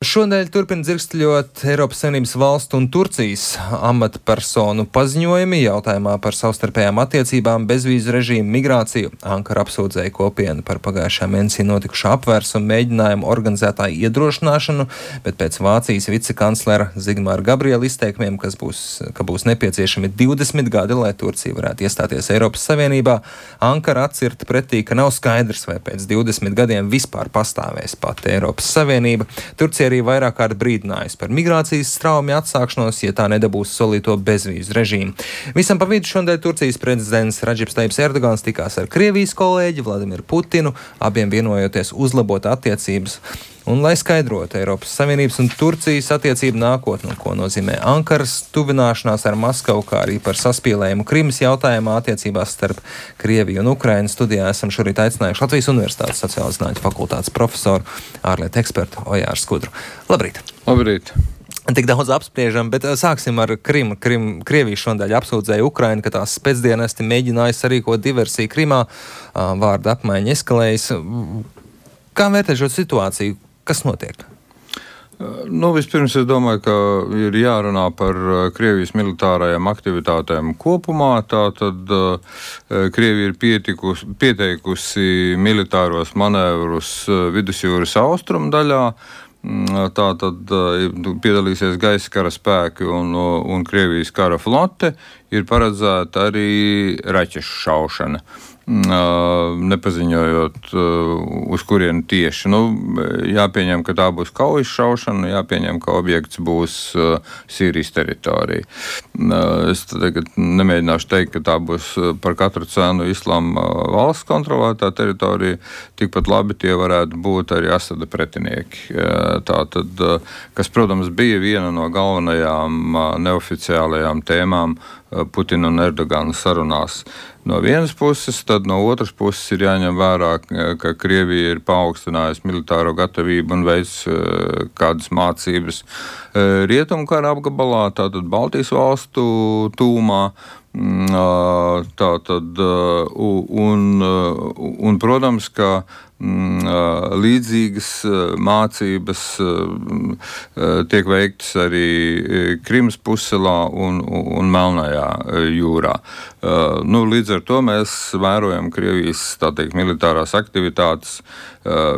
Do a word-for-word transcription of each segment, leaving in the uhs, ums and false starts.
Šonedēļ turpina dzirksteļot Eiropas Savienības valstu un Turcijas amatpersonu paziņojumi jautājumā par savstarpējām attiecībām, bezvīzu režīmu, migrāciju. Ankara apsūdzēja kopienu par pagājušā mēnesī notikušā apvērsumu mēģinājumu organizētāju iedrošināšanu, bet pēc Vācijas vicekanclera Zigmāra Gabriela izteikumiem, kas būs, ka būs nepieciešami divdesmit gadi, lai Turcija varētu iestāties Eiropas Savienībā, Ankara atcirta pretī, ka nav skaidrs, vai pēc divdesmit gadiem vispār pastāvēs pati Eiropas Savienība. Turcija arī vairāk kārt brīdinājis par migrācijas straumju atsākšanos, ja tā nedabūs solīto bezvīzu režīmu. Visam pa vidu šodien Turcijas prezidents Radžips Tajjips Erdogans tikās ar Krievijas kolēģi Vladimiru Putinu, abiem vienojoties uzlabot attiecības. Un, lai skaidrotu Eiropas Savienības un Turcijas attiecību nākotni, ko nozīmē Ankaras tuvināšanās ar Maskavu, kā arī par saspīlējumu Krimas jautājumā attiecībās starp Krieviju un Ukrainu, studijā esam šorīt aicinājuši Latvijas Universitātes sociālo zinātņu fakultātes profesoru, ārlietu ekspertu Ojāru Skudru. Labrīt! Labrīt! Tik daudz apspriežam, bet sāksim ar Krimu. Krim, Krievija šodien apsūdzēja Ukrainu, ka tās spēcdienesti mēģināja sarīkot diversiju Krimā, vārda apmaiņa eskalējas. Kā vērtē šo situāciju? Kas notiek? Nu, vispirms es domāju, ka ir jārunā par Krievijas militārajām aktivitātēm kopumā. Tātad Krievija ir pietikus, pieteikusi militāros manevrus vidusjūras austrumu daļā. Tātad piedalīsies gaisa kara spēki un, un Krievijas kara flote. Ir paredzēta arī raķešu šaušana, nepaziņojot, uz kurienu tieši. Nu, jāpieņem, ka tā būs kaujas šaušana, jāpieņem, ka objekts būs Sīrijas teritorija. Es tagad nemēģināšu teikt, ka tā būs par katru cenu Islāma valsts kontrolētā teritorija. Tikpat labi tie varētu būt arī Asada pretinieki. Tātad, kas, protams, bija viena no galvenajām neoficiālajām tēmām Putina un Erdogana sarunās. No vienas puses, tad no otras puses ir jāņem vērā, ka Krievija ir paaugstinājusi militāro gatavību un veids kādas mācības rietumkara apgabalā, tātad Baltijas valstu tūmā. Tātad, un, un, protams, ka līdzīgas mācības tiek veiktas arī Krimas pusselā un, un Melnajā jūrā. Nu, līdz ar to mēs vērojam Krievijas, tā teikt, militārās aktivitātes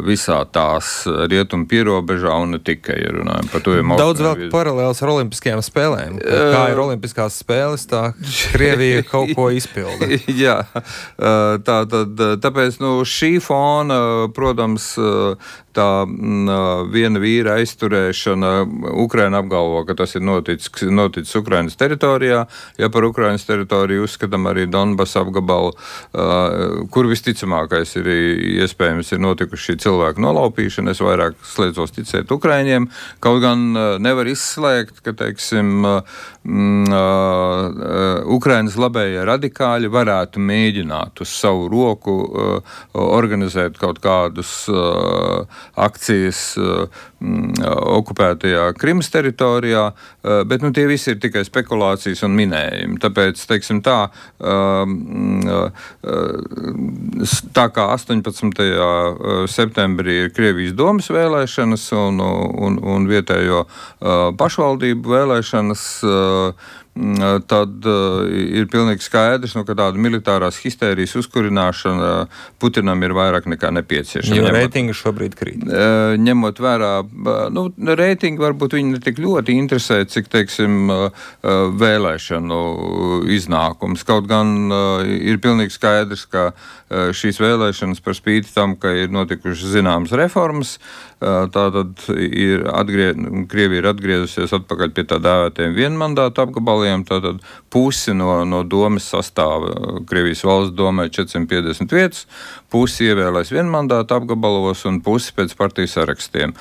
visā tās rietumu pierobežā un ne tikai, ja runājam par to. Daudz vēl paralēls ar olimpiskajām spēlēm. Kā ir olimpiskās spēles, tā Krievija kaut ko izpilda. Jā, tā tad, tāpēc, nu, šī fona, protams, tā viena vīra aizturēšana, Ukraina apgalvo, ka tas ir noticis, noticis Ukrainas teritorijā. Ja par Ukrainas teritoriju uzskatām arī Donbas apgabalu, kur visticamākais ir iespējams ir notikuši šī cilvēku nolaupīšana. Es vairāk slēdzos ticēt Ukraiņiem. Kaut gan nevar izslēgt, ka, teiksim, Ukrainas labējie radikāļi varētu mēģināt uz savu roku organizēt kaut kādus akcijas okupētajā Krimas teritorijā, bet nu, tie visi ir tikai spekulācijas un minējumi. Tāpēc, teiksim tā, tā kā astoņpadsmitajā septembrī ir Krievijas domas vēlēšanas un, un, un vietējo pašvaldību vēlēšanas, tad uh, ir pilnīgi skaidrs, nu, ka tāda militārās histērijas uzkurināšana Putinam ir vairāk nekā nepieciešama. Jo reitingi šobrīd krīt. Uh, ņemot vērā, nu, reitingi varbūt viņi ne tik ļoti interesē, cik, teiksim, uh, vēlēšanu iznākums. Kaut gan uh, ir pilnīgi skaidrs, ka uh, šīs vēlēšanas par spīti tam, ka ir notikušas zināmas reformas, uh, tātad ir atgrie... Krievija ir atgriezusies atpakaļ pie tā dēvētiem vienmandātu apgabaliem. Tātad pusi no, no domas sastāva Krievijas valsts domē četrsimt piecdesmit vietas, pusi ievēlēs vienmandātu apgabalos un pusi pēc partiju sarakstiem.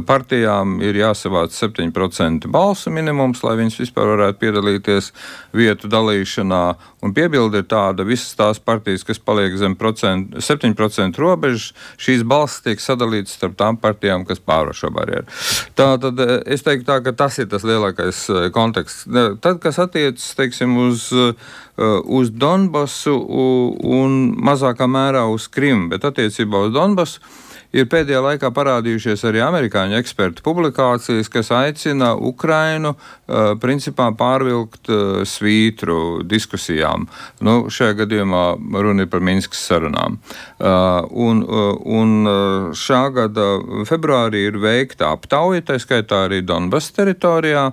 Partijām ir jāsavāc septiņi procenti balsu minimums, lai viņas vispār varētu piedalīties vietu dalīšanā. Un piebilde ir tāda, visas tās partijas, kas paliek zem septiņu procentu robežas, šīs balsis tiek sadalītas starp tām partijām, kas pārvar šo barjeru. Tātad es teiktu tā, ka tas ir tas lielākais konteksts. Tad, kas attiecas, teiksim, uz, uz Donbasu un mazākā mērā uz Krimu, bet attiecībā uz Donbasu ir pēdējā laikā parādījušies arī amerikāņu ekspertu publikācijas, kas aicina Ukrainu uh, principā pārvilkt uh, svītru diskusijām. Nu, šajā gadījumā runa ir par Minskas sarunām. Uh, un, uh, un uh, šā gada februārī ir veikta aptauja, tā skaitā arī Donbass teritorijā,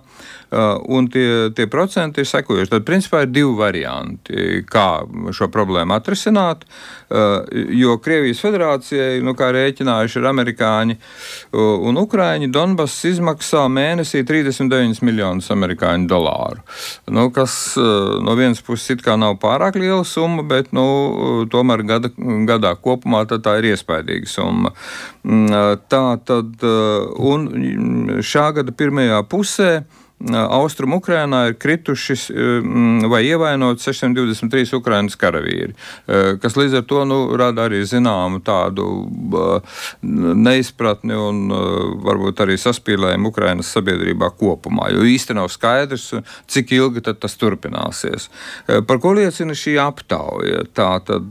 Uh, un tie, tie procenti ir sekojuši. Tad, principā, ir divi varianti, kā šo problēmu atrisināt, uh, jo Krievijas federācijai, nu, kā rēķinājuši ir amerikāņi uh, un ukraiņi, Donbass izmaksā mēnesī trīsdesmit deviņus miljonus amerikāņu dolāru. Nu, kas uh, no vienas puses it kā nav pārāk liela summa, bet, nu, tomēr gada, gadā kopumā tad tā ir iespaidīga summa. Uh, tā tad, uh, un šā gada pirmajā pusē Austrum Ukrainā ir krituši vai ievainoti sešsimt divdesmit trīs Ukrainas karavīri, kas līdz ar to nu, rada arī zināmu tādu neizpratni un varbūt arī saspīlējumu Ukrainas sabiedrībā kopumā, jo īsti nav skaidrs, cik ilgi tad tas turpināsies. Par ko liecina šī aptauja? Tā tad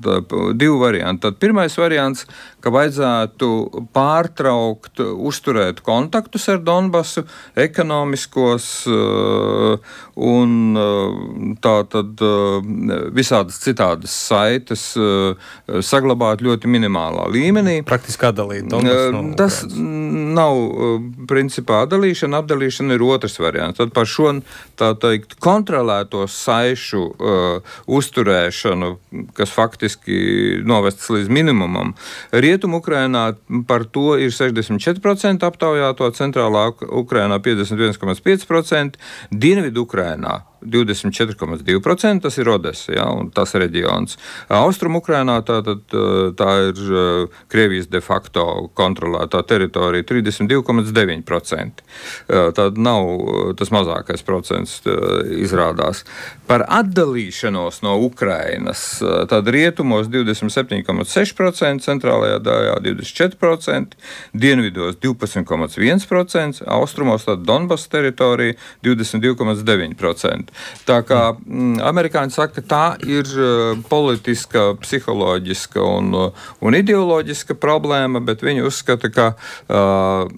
divi varianti. Tad pirmais variants, ka vajadzētu pārtraukt, uzturēt kontaktus ar Donbasu, ekonomiskos un tā tad visādas citādas saites saglabāt ļoti minimālā līmenī. Praktiski atdalīt Donbasu no Ukrainas. Tas nav principā atdalīšana, apdalīšana ir otrs variants. Tad par šo, tā teikt, kontrolēto saišu uh, uzturēšanu, kas faktiski novests līdz minimumam, Rietumu Ukrainā par to ir sešdesmit četri procenti aptaujāto, centrālā Ukrainā piecdesmit viens komats pieci procenti, Dienvidu Ukrainā divdesmit četri komats divi procenti, tas ir Odesa, ja, un tas reģions. Austrum Ukrainā tā, tad, tā ir Krievijas de facto kontrolētā teritorija trīsdesmit divi komats deviņi procenti. Tad nav tas mazākais procents izrādās. Par atdalīšanos no Ukrainas, tad rietumos divdesmit septiņi komats seši procenti, centrālajā daļā divdesmit četri procenti, dienvidos divpadsmit komats viens procents, austrumos tad Donbass teritorija divdesmit divi komats deviņi procenti. Tā kā mm, amerikāņi saka, ka tā ir uh, politiska, psiholoģiska un, uh, un ideoloģiska problēma, bet viņi uzskata, ka uh,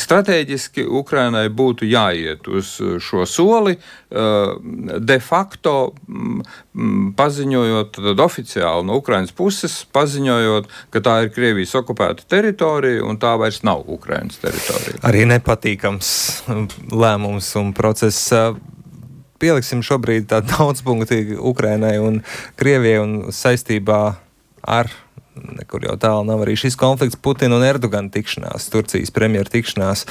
strateģiski Ukrainai būtu jāiet uz šo soli, uh, de facto mm, paziņojot, tad oficiāli no Ukrainas puses paziņojot, ka tā ir Krievijas okupēta teritorija un tā vairs nav Ukrainas teritorija. Arī nepatīkams lēmums un process. Pieliksim šobrīd tā daudzpunktīgi Ukrainai un Krievijai un saistībā ar, nekur jau tālu nav arī šis konflikts, Putina un Erdogana tikšanās, Turcijas premjera tikšanās,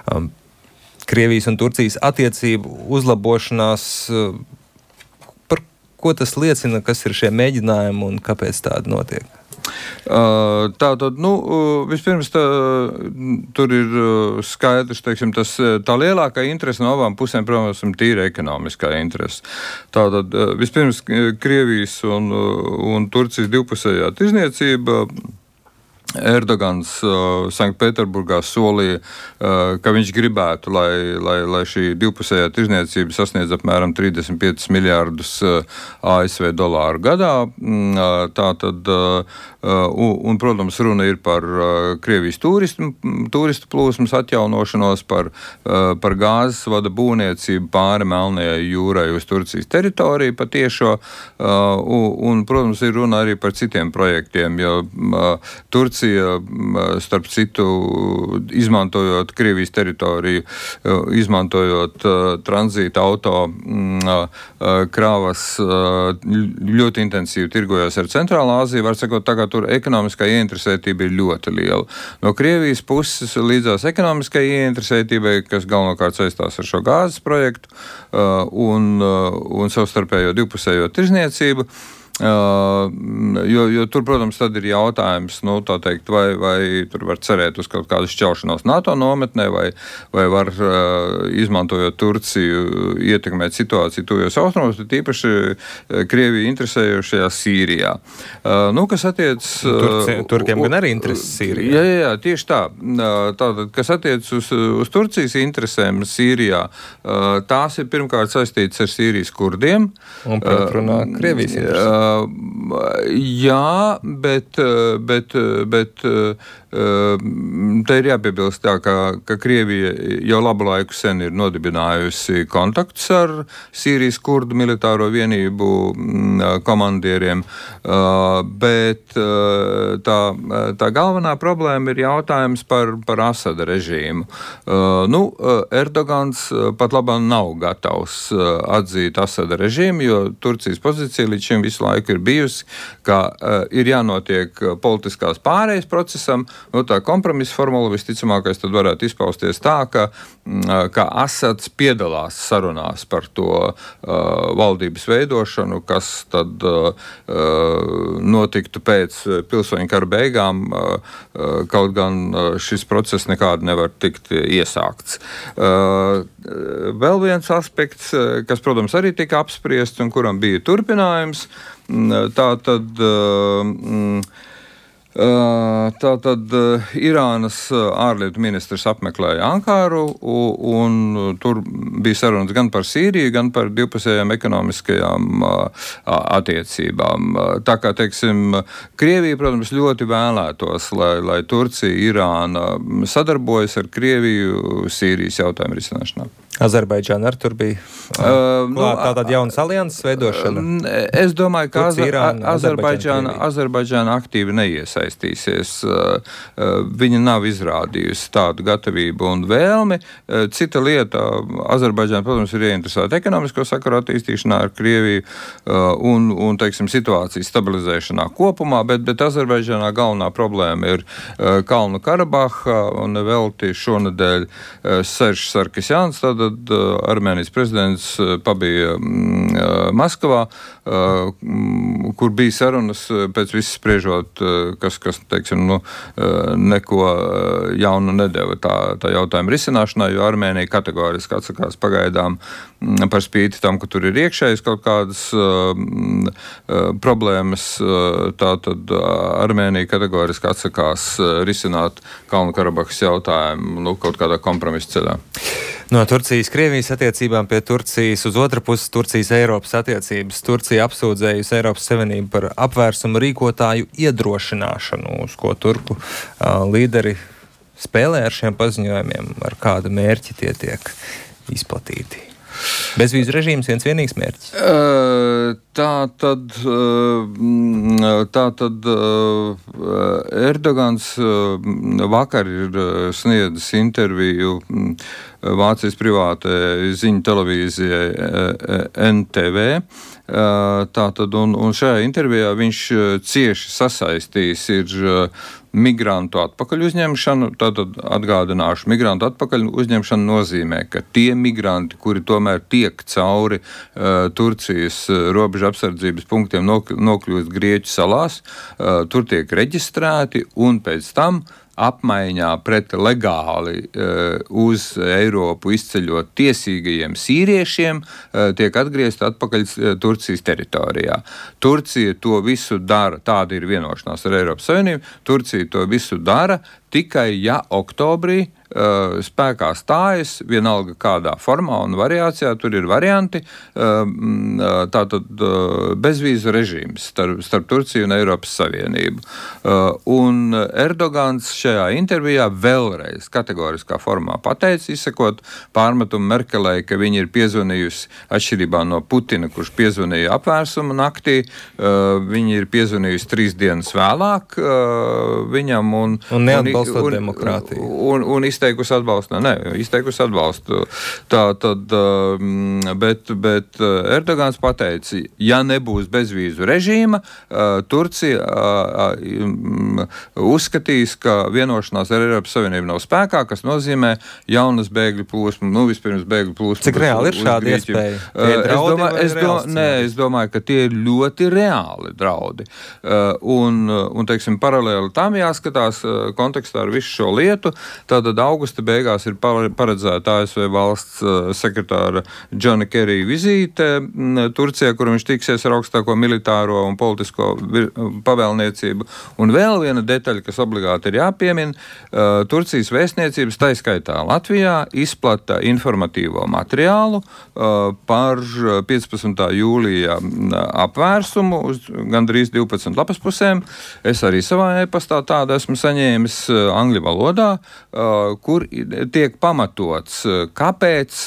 um, Krievijas un Turcijas attiecību uzlabošanās. Uh, par ko tas liecina, kas ir šie mēģinājumi un kāpēc tādi notiek? Uh, tā tad, nu, vispirms tā, tur ir skaidrs, teiksim, tas, tā lielākā interese no abām pusēm, protams, ir tīra ekonomiskā interese. Tātad, vispirms Krievijas un, un Turcijas divpusējā tirzniecība. Erdogans uh, Sanktpēterburgā solīja, uh, ka viņš gribētu, lai, lai, lai šī divpusējā tirzniecība sasniedz apmēram trīsdesmit piecus miljārdus uh, A S V dolāru gadā. Mm, uh, tā tad, uh, un, un, protams, runa ir par uh, Krievijas turistu, turistu plūsmas atjaunošanos, par, uh, par gāzes vada būvniecību pāri Melnajai jūrai uz Turcijas teritoriju patiešo, uh, un, un, protams, ir runa arī par citiem projektiem, jo uh, Turcija starp citu, izmantojot Krievijas teritoriju, izmantojot uh, tranzīta auto uh, krāvas, uh, ļoti intensīvi tirgojas ar Centrālā Āziju. Var sakot, tā kā tur ekonomiskā ieinteresētība ir ļoti liela. No Krievijas puses līdzās ekonomiskai ieinteresētībai, kas galvenokārt saistās ar šo gāzes projektu uh, un, uh, un savstarpējo divpusējo tirzniecību. Uh, jo, jo tur, protams, tad ir jautājums, nu, tā teikt, vai, vai tur var cerēt uz kaut kādu šķelšanos NATO nometnē, vai, vai var, uh, izmantojot Turciju, ietekmēt situāciju tuvajos austrumos, bet īpaši Krieviju interesējošajā Sīrijā. Uh, nu, kas attiec... Turci, Turkiem gan arī intereses Sīrijā. Jā, jā, jā, tieši tā. Tātad, kas attiec uz, uz Turcijas interesēm Sīrijā, uh, tās ir pirmkārt saistītas ar Sīrijas kurdiem. Un pretrunā uh, Krievijas interesēm. Jā, bet, bet, bet te ir jāpiebilst tā, ka, ka Krievija jau labu laiku sen ir nodibinājusi kontaktus ar Sīrijas kurdu militāro vienību komandieriem, bet tā, tā galvenā problēma ir jautājums par, par Asada režīmu. Nu, Erdogans pat labāk nav gatavs atzīt Asada režīmu, jo Turcijas pozīcija līdz šim visu laiku ir bijusi, ka ir jānotiek politiskās pārējas procesam. Nu, tā kompromisa formula visticamākais tad varētu izpausties tā, ka, ka Asads piedalās sarunās par to uh, valdības veidošanu, kas tad uh, notiktu pēc pilsoņu kara beigām, uh, kaut gan šis process nekādi nevar tikt iesākts. Uh, vēl viens aspekts, kas, protams, arī tika apspriests un kuram bija turpinājums, tā tad uh, Tā tad Irānas ārlietu ministrs apmeklēja Ankaru, un tur bija sarunas gan par Sīriju, gan par divpusējām ekonomiskajām attiecībām. Tā kā, teiksim, Krievija, protams, ļoti vēlētos, lai, lai Turcija, Irāna sadarbojas ar Krieviju Sīrijas jautājumu risināšanā. Azerbaidžāna arī tur bija uh, nu, tātad jaunas alianses veidošana. Es domāju, ka Azerbaidžāna, Azerbaidžāna, Azerbaidžāna aktīvi neiesaistīsies. Viņa nav izrādījusi tādu gatavību un vēlmi. Cita lieta, Azerbaidžāna, protams, ir ieinteresēta ekonomisko sakaru attīstīšanā ar Krieviju un, un teiksim, situācijas stabilizēšanā kopumā, bet, bet Azerbaidžānā galvenā problēma ir Kalnu Karabaha, un velti šonedēļ Seržs Sarkisjāns, tātad Armēnijas prezidents pabija Maskavā, kur bija sarunas pēc viss spriežot, kas, kas teiksim, nu, neko jaunu nedeva tā, tā jautājuma risināšanā, jo Armēnija kategoriski atsakās pagaidām par spīti tam, ka tur ir iekšējas kaut kādas uh, problēmas, tā tad Armēnija kategoriski atsakās risināt Kalnu Karabahas jautājumu nu, kaut kādā kompromisa ceļā. No Turcijas Krievijas attiecībām pie Turcijas uz otru pusi Turcijas Eiropas attiecības. Turcija apsūdzējusi Eiropas Savienību par apvērsumu rīkotāju iedrošināšanu, uz ko turku uh, līderi spēlē ar šiem paziņojumiem, ar kādu mērķi tie tiek izplatīti. Bezvīzu režīms viens vienīgs mērķis? Tā tad, tā tad Erdogans vakar ir sniedzis interviju Vācijas privātajai ziņu televīzijai N T V. Tātad, un, un šajā intervijā viņš cieši sasaistījis ir migrantu atpakaļ uzņemšanu. Tātad atgādināšu, migrantu atpakaļ uzņemšana nozīmē, ka tie migranti, kuri tomēr tiek cauri uh, Turcijas uh, robežu apsardzības punktiem nok- nokļūst Grieķu salās, uh, tur tiek reģistrēti un pēc tam apmaiņā pret legāli uh, uz Eiropu izceļot tiesīgajiem sīriešiem uh, tiek atgriezti atpakaļ uh, Turcijas teritorijā. Turcija to visu dara, tāda ir vienošanās ar Eiropas Savienību, Turcija to visu dara tikai, ja oktobrī uh, spēkā stājas, vienalga kādā formā un variācijā, tur ir varianti, uh, tātad uh, bezvīzu režīms starp, starp Turciju un Eiropas Savienību. Uh, un Erdogans šajā intervijā vēlreiz kategoriskā formā pateica, izsakot pārmetumu Merkelei, ka viņa ir piezvanījusi atšķirībā no Putina, kurš piezvanīja apvērsuma naktī, uh, viņa ir piezvanījusi trīs dienas vēlāk uh, viņam un, un neatbalstot demokrātiju. Un, un, un izteikusi atbalstu. Nē, izteikusi atbalstu. Tā tad, bet, bet Erdogans pateica, ja nebūs bezvīzu režīma, Turcija uzskatīs, ka vienošanās ar Eiropas Savienību nav spēkā, kas nozīmē jaunas bēgļu plūsmu, nu vispirms bēgļu plūsmu. Cik reāli ir šāda iespēja? Es domāju, es, do, nē, es domāju, ka tie ir ļoti reāli draudi. Un, un teiksim, paralēli tam jāskatās kontekstā ar visu šo lietu. Tātad augusta beigās ir paredzēta A S V valsts sekretāra Džona Kerija vizīte Turcijā, kur viņš tiksies ar augstāko militāro un politisko pavēlniecību. Un vēl viena detaļa, kas obligāti ir jāpiemina, Turcijas vēstniecības, tā skaitā Latvijā, izplata informatīvo materiālu par piecpadsmitā jūlijā apvērsumu uz gandrīz divpadsmit lapas pusēm. Es arī savā e-pastā tādu esmu saņēmis. angļu valodā, kur tiek pamatots, kāpēc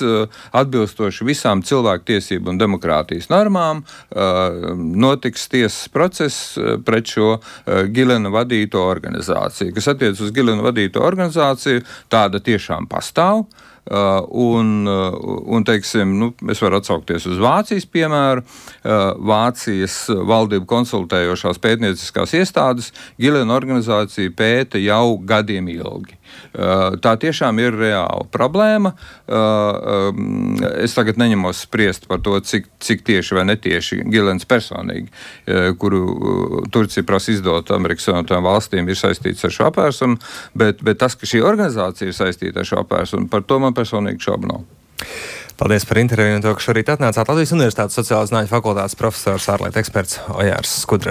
atbilstoši visām cilvēktiesību un demokrātijas normām notiks tiesas process pret šo Gilena vadīto organizāciju. Kas attiec uz Gilena vadīto organizāciju, tāda tiešām pastāv. Uh, un, uh, un, teiksim, nu, es varu atsaukties uz Vācijas piemēru. Uh, Vācijas valdību konsultējošās pētnieciskās iestādes Gilena organizācija pēta jau gadiem ilgi. Uh, tā tiešām ir reāla problēma. Uh, um, es tagad neņemos spriest par to, cik, cik tieši vai netieši Gilens personīgi, uh, kuru uh, Turcija prasa izdot Amerikas Savienotajām valstīm, ir saistīts ar šo apvērsunu, bet, bet tas, ka šī organizācija ir saistīta ar šo apvērsunu, par to man personīgi šaubu nav. Paldies par interviju un to, ka šorīt atnācāt. Latvijas Universitātes sociālo zinātņu fakultātes profesors, ārlietu eksperts Ojārs Skudra.